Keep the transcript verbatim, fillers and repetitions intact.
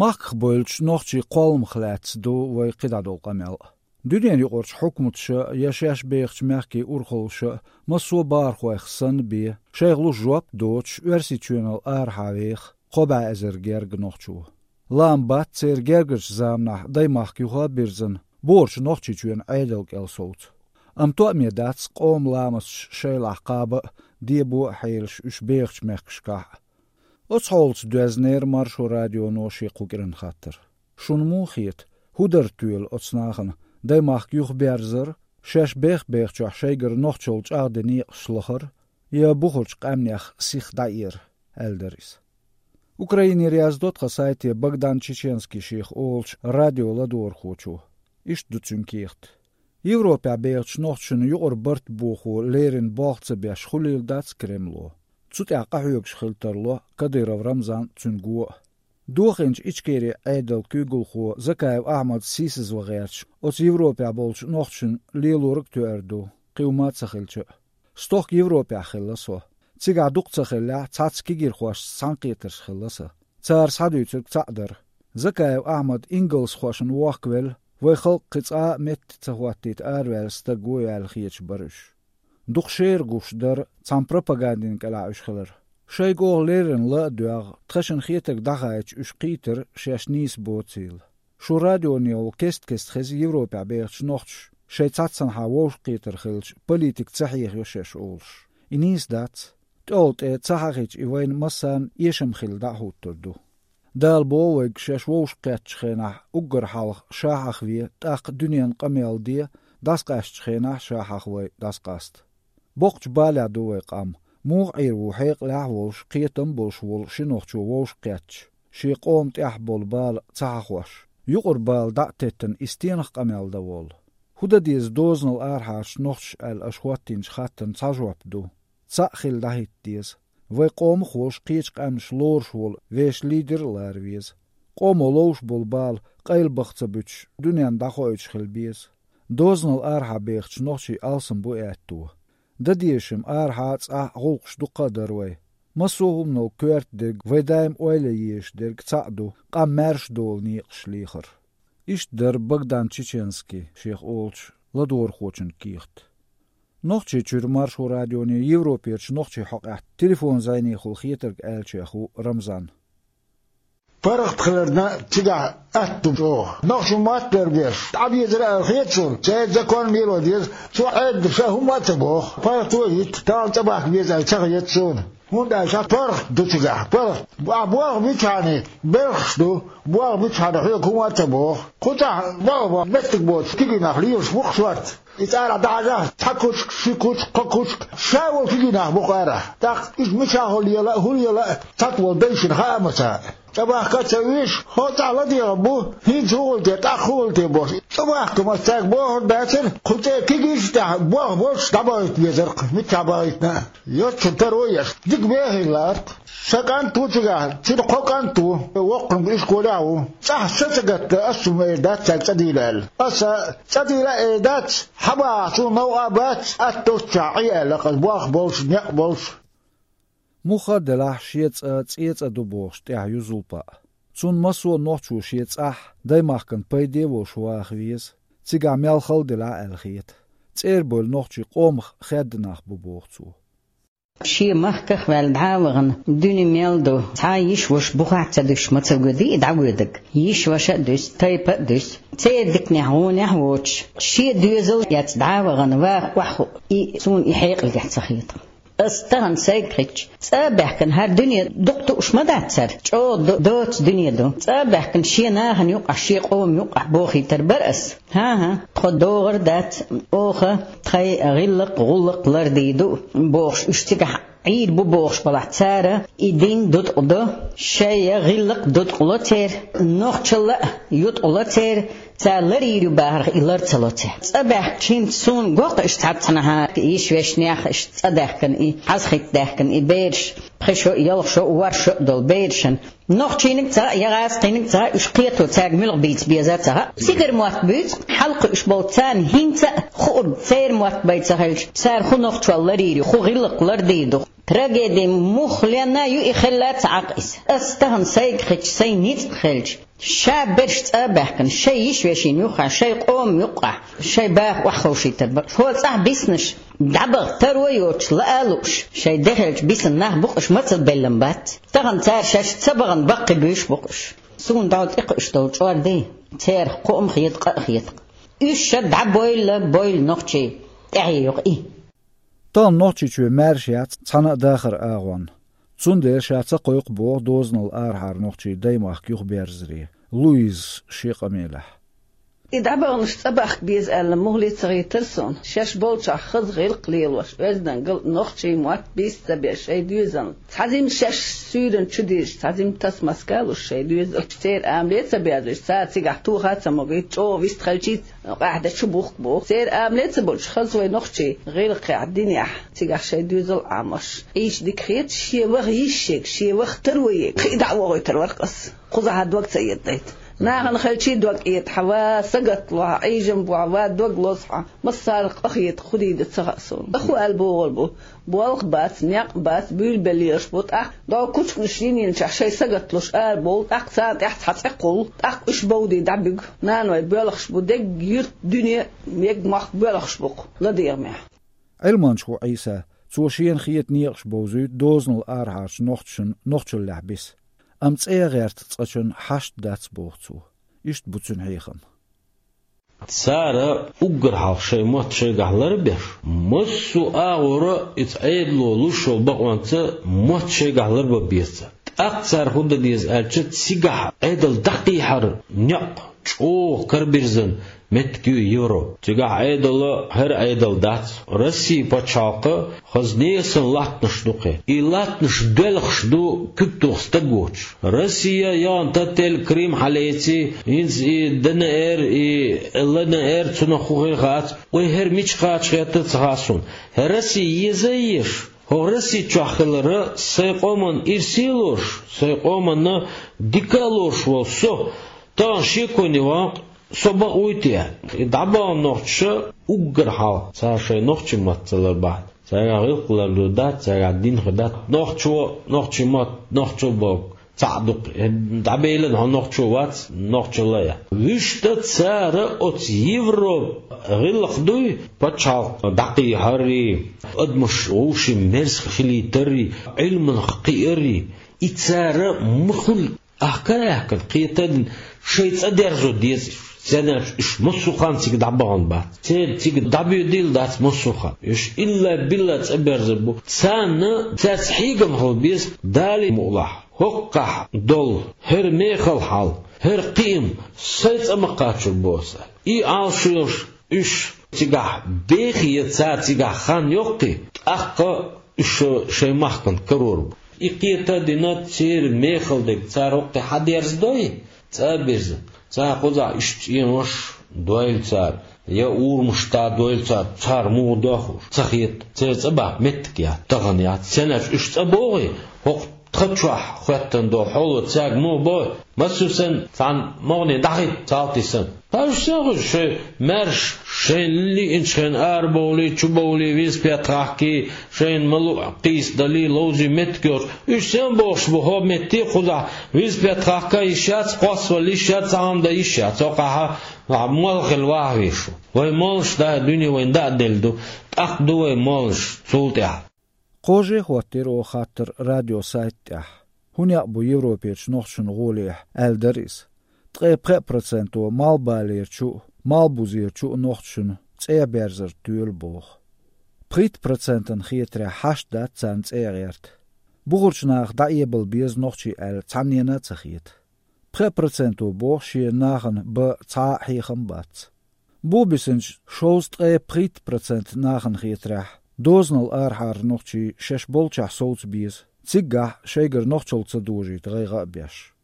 Махках бевллачу нохчийн кхолламах лаьцна ду вайн кхидӀа долу къамел. Дуьненан юкъарчу хьукматаша я шаьш бехачу мехкийн урхаллаша массо а бахархойх санна бен, шайх луш жоп а доцуш, Оьрсийчоьнал арахьа веха кхо бӀе эзар герга нохчо. Лаам бац церан гергарчу заманахь даймахка юха а бирзина, бохург Нохчийчоьнан Ӏедал кӀел совца. Амма тоаме дац къоман ламасташ шайлахь кхаба а, дебо а хьелаш уьш бехачу мехкашкахь а. Оцу хьолаца доьзнера Маршо радионо шен кху кӀиран хаттар. Шуна муха хета, хӀун дара тоьла оцу нахана, даймахка юхаберзар, шаьш бех-бехачохь шайгара нохчалла чӀагӀдина некъаш лахар, я бухарчу къаьмнех сиха дӀаэр, аьлла дара иза. Украинера яздо тхан сайте Богдан Чеченский шех олучу радион ладогӀархочо. Иштта ду цуьнан кехат. Европехь бехачу нохчашна юкъара барт бохо леррина болх ца беш хуьлийла дац Кремло. Цу тӀехь къахьоьгуш хила тарло Кадыров Рамзан а, цуьнан го а. Дохийначу Ичкерин Ӏедалан куьйгалхо Закаев Ахьмад сийсазван гӀерташ, оцу Европехь болчу нохчашна лелориг а тоьар ду, кхин хӀума а ца хилча а. Стохка Европехь хилла со. Цигахь дукха ца хиллехь, цхьацца кегийрхошца цхьаьнакхетарш хилла сан. Цара схьадуьйцург цхьаъ дара. Закаев Ахьмад ингалсхошна вохкавелла, вайн халкъ кхин цкъа а метта ца хӀоттийта араваьлла стаг ву аьлла хеташ бара уьш. Дукха шера гуш дара цхьана пропагандин кӀелахь уьш хилар. Шайга оха леррина ла а доьгӀна, тхешна хетарг дӀахаийтича уьш кхийтира шаьш нийса боцийла. Шун радионе йолу кест-кеста хеза Европехь бехачу нохчаша шайн цхьаццанхьа вовшахкхетар хилча, политика ца хьехайо шаьш олуш. И нийса дац. ТӀехула тӀе ца хьахийча, и вайна массарна эшам хилла дӀа а хӀуттур ду. Дала боху вайга, шаьш вовшахкхеттачу хенахь уггар хьалха ша хьахаве, тӀаккха дуьненан къамел де, дӀасакъаьстачу хенахь ша хьахавай дӀасакъаста. Боккхачу балехь ду вай къам. Муха Ӏийр ву хьекъалехь а волуш, кхетам а болуш волу ши нохчо вовшахкхетташ, шен къоман тӀехь болу бала ца хьахош? Юкъара бала дӀа а теттина, и стенах къамел дан воллу? ХӀун дан деза дозанал арахьарчу нохчаша аьлла аша хӀоттийначу хаттарна цхьа жоп ду. Цхьаъ хилла дӀахӀитта деза. Вайн къомах а волуш, кхечу къаьмнаша лоруш волу вешан лидер а лара веза. Къомо ловш болу бала къайлабаха ца буьтуш, дуьненна дӀахоуьйтуш хила беза. Дозанал арахьа бехачу нохчийн алсам бу аьтто. Дан дезаш-м арахьа а, цӀахь а гӀуллакхаш дуккха а дара вай. Массо а хӀуманал коьрта дерг, вай даим ойла ян езаш дерг цхьаъ ду: къам маьрша долу некъаш лехар. Иштта дара Богдан Чеченский шех олучу ладогӀархочун кехат. Нохчийчуьра Маршо радионе Европерчу нохчийн хьокъехь телефон зӀенехула хетарг аьллачех ву Рамзан. ПаргӀат хиларна цигахь атта ду чӀогӀа. Нохчо мотт бер беш, дӀабезара аьлла хета суна, церан закон мело деза, цо Ӏедда ша хӀумма а ца боху. ПаргӀато йитта, тахана цӀа бахка беза аьлла ца хета суна. ХӀунда аьлча паргӀат ду цигахь, паргӀат. Ахь болх бичхьана, белхаш ду, болх бичхьана хьоьга хӀумма а ца боху. Кху цӀахь болх бан меттиг боцу кегий нах лелаш бу-кх шорта. И цӀарахь дӀахьажахь, цхьа кучка, ши кучка, кхо кучка, ша волу кегий нах бу-кх арахь. ТӀаккха иза мичахь хӀума лела а, хӀун лела а, цхьаъ волу дайшна хаа ма ца. ЦӀа бахка а ца везаш, хӀокху цӀахь ладегӀа бу, хӀинца хӀун хуьлу те, тӀаккха хӀун хуьлу те бохуш. ЦӀа бахка мас цаьрга бохург бацара, кху цӀе кегийчу тӀехь болх болуш дӀабахийта везара-кх, миччахь бахийтина а. Йоццун таро еш, дика бехийла лаара-кх. Сан кӀант ву цигахь, цуьнан кхо кӀант ву, воккханиг ишколехь а ву. ЦӀахь са ца гатта, ас цунна эр дац цаьрга цӀа дийла аьлла. Аса цӀа дийла а эр дац, хьан бахахь суна новкъа а бац, атта доццушехь Ӏе аьлла-кх ас, болх болуш, некъ болуш. Муха а делахь, шен цӀа цӀен цӀа ду бохуш тӀехь ю Зулпа. Цунна массо а нохчо шен цӀахь, даймахкана пайде а волуш ваха веза, цигахь мел хала делахь а аьлла хета. ЦӀера бевлла нохчий къомах хаьдда нах бу, боху цо. Шен махках а ваьлла дӀа а вахана, дуьне мел ду, цхьа а йиша-ваша бухахь ца дуьсуш ма ца воьдий и дӀавоьдург. Йиша-ваша а дуьсу, тайпа а дуьсу. Церан диканехь, гӀонехь а воцуш, шен доьзал а эцна дӀа а вахана, ваха охьахуу, и суна и хьекъалехь ца хета. Ас тахана сайга хетча, цӀа а баьхкина, хӀара дуьне дукха тууш ма дац цара, чӀогӀа до-, доцу дуьне ду. ЦӀа а баьхкина, шен нахана юкъахь, шен къоман юкъахь бохийтар бара ас. ХӀан-хӀа, тхо догӀар дац, оха тхайн гӀиллакх, гӀуллакх лардийр ду бохуш, уьш цигахь Ӏийр бу бохуш балахь, цара и дин дуткъа до, шайн гӀиллакх дуткъа ло церан, нохчалла а юткъа ло церан, цара ларйийр ю бахарх и лар ца ло церан. ЦӀа баьхкича, хӀинца суна го-кх уьш цхьаццанхьа, йиша-вешнех а иштта цӀа даьхкина и, хьаза хӀитта даьхкина и бераш, пхи шо а, ялх шо а, ворхӀ шо а долу берашна. Нохчийниг ца хаьа, я гӀазкхийниг ца хаьа, уьш кхето цаьрга муьлха бийца беза ца хаьа. Цигара мотт буьйцу, хьалакхуьуш болу царна хӀинца а хуург, церан мотт бай ца хилча, цара хӀун нохчалла ларйийр ю, хӀун гӀиллакх лардийр ду. Трагеди мух лена ю и хилла ца Ӏакъ иза. Ас тахана сайга хеча, сайн ницкъ хилча, ша берш цӀа а баьхкина, шай йиш вешийна юххехь, шай къоман юккъехь, шай баха охьаховшийтар бакъ. Хьо цӀахь биснаш, дӀабаха таро а йоцуш, лаа а лууш, шай де хилча бисина нах бу-кх уьш, мацалла беллам бац. Тахана цара шаьш ца бахана баккхий буьйш бу-кх уьш. Суна дӀо тӀекхуьуш долу чӀор ду, церах кхоо а хета, къа а хета. Уьш ша дӀабойла, бойла нохчий, тӀаьхье йоккху и. Тахана Нохчийчоь маьрша яц цхьана а дахаран агӀонна. Цундела ша ца кхойкху боху дозанал арахьара нохчий Даймахка юхаберзаре, Луизас шен къамелехь. И дӀабаханаш цӀа бахка беза аьлла, муххале а ца хийтира суна. Шаьш болчохь хаза гӀиллакх лелош, оьздангалла а, нохчийн мотт бийца ца беш шайн доьзална. Цхьа жимма шаьш суьйранна чу дийзаш, цхьа жимма тасмаска а луш шайн доьзалш. Церан амале а ца боьзуьйтуш, цара цигахь тоха а ца могуьйту, чӀогӀа вистхилчий а къаьхьа дан чу бухку боху. Церан амале а ца болуш, хаза вай нохчий гӀиллакхехь, динехь, цигахь шайн доьзал а Ӏамош. Къийча дика хета, шен ваха йиш ерг, шен ваха таро ерг, кхин а дӀа а вохуьйтур вара-кх ас. Кхузахь дог ца эцадайта. Нахана хилчий дог эцахь, ва сагатлахь, Ӏийжам бохь, ва дог лозахь, массарах къа хета, кху дийна ца хаьа суна. Аху аьлла бохур бу. Болх бац, некъ бац, буьйлабелла лелаш бу, тӀаккха догӀу кучканаш йинчохь шайн сагатлуш арабовлу, тӀаккха царна тӀехь цхьа цӀе кхуллу, тӀаккха уьш бовдий дӀабуьгу. Наной боьлхуш бу, дегга юьрт, дуьне, мега мохк боьлхуш бу-кх ладегӀамехь. Ӏилманча ву Ӏийса, цо шена хета некъаш бовзуьйту дозанал арахьарчу нохчашна нохчаллехь биса. Амма цӀе а гӀерта цкъачунна хьашт дац боху цо. Иштта бу цуьнан хьехам. Цара уггар хьалха шайн мотт шайгахь ларбеш, массо а агӀора иза Ӏедало луш йолу бакъонца мотт шайгахь ларбан беза цара. ТӀаккха цара хӀун дан деза аьлча, цигахь Ӏедал дӀакхехьар некъ чӀогӀа карабирзина меттиг ю Европа. Цигахь Ӏедал хӀара Ӏедал дац. Россия пачхьалкх хаза несан латтанаш ду кхин. И латтанаш доьлхуш ду куьг тоха стаг воцуш. Россия яхана таттел Крым хьалаэций, хӀинца и Д Н Р, и Л Н Р, цунах хӀун хир хац, вай хӀара мича кхача хетта а ца хаьа суна. ХӀара Россия еза а езаш, хӀокху Россия чохь хилар сайн къоман ирсе а лоруш, сайн къоманна дика а лоруш волу со, тахана шеконе ван-кх, со бакъ вуй те? И дӀабахана нохчаша уггар хьалха цара шайн нохчийн мотт ца ларбахь, цаьргахь гӀиллакх лардан дац, цаьргахь дин хир дац. Нохчо, нохчийн мотт, нохчо боху цхьаъ ду-кх. ДӀабелина хьо нохчо вац, нохчалла а яц. Вуьшта цара оцу Европа гӀиллакх дуй, пачхьалкх дӀакхехьаррий, адамаш вовшийн мерза хилийтаррий, Ӏилманах кхиаррий, и цара ма хуьлу. Ахкара аьхкина, кхета а дина, шайн цӀа дерзо деза уьш. Церан аьлча уьш массо а хан цига дӀабахана бац. Церан цига дӀабоьдийла дац массо а хан. Уьш илла-билла цӀа берзар бу. Царна цаьрца хьегам хила беза, Дала мукъалахь, хӀокхахь долу хӀара мехала хьал, хӀара кхиам сайн цӀа ма кхачор бу аса. И Ӏалашо йолуш уьш цигахь бехе, цара цигахь хан йоккхий, тӀаккха уьш шайн махкана карор бу. И кхета а дина, церан мехала дерг цара хӀокхе хьадерзадой, цӀа а бирзина. Цара кхузахь иштта цӀенош дойла цара, я урамаш дӀадойла цара, цара муха дохуш ца хета, церан цӀа баккха меттиг яц, тахана яц. Церан аьлча уьш цӀа богӀий, хӀокху тхан чохь хӀоьттина долу хьоло цаьрга муха богӀий? Массо а санна, цхьана могӀане дӀахӀитта, салтий санна. Ткъа уьш сен хуьлу шайн маьрша, шайна лиъначу хенахь арабовлий, чубовлий, виза-петта хахкий, шайна ма-луъу кхийса далий, ловзий меттиг йоцуш? Уьш сен бохуш бу хӀокху метте кхузахь виза-петта хахка йиш яц, кхоссавала йиш яц, цхьа хӀума дан йиш яц, хӀокхахь молла хила ваха везаш ву. Вай моллаш дай дуьне вайна даа делла ду, тӀаккха ду вай моллаш цул тӀаьхьа. Кхоже а хӀоттийра оха хаттар радиосайта тӀехь. ХӀун некъ бу Европерчу нохчашна гӀолехь, аьлла дара иза. Ткъе пхеа проценто малхбалерчу а, малхбузерчу а нохчашна цӀа берзар тоьлу боху. Пхийтта процентана хетарехь хьашт дац царна цӀа гӀерта. Бухарчу наха дӀаэбала беза нохчий аьлла цхьаннена а ца хета. Пхеа проценто боху шен нахана бан цхьа а хьехам бац. Бухабисинчу шовзткъе пхийтта процент нахана хетарехь, дозанал арахьара нохчий шаьш болчохь совца беза, циггахь шайгара нохчалла ца дожийта гӀайгӀа а беш.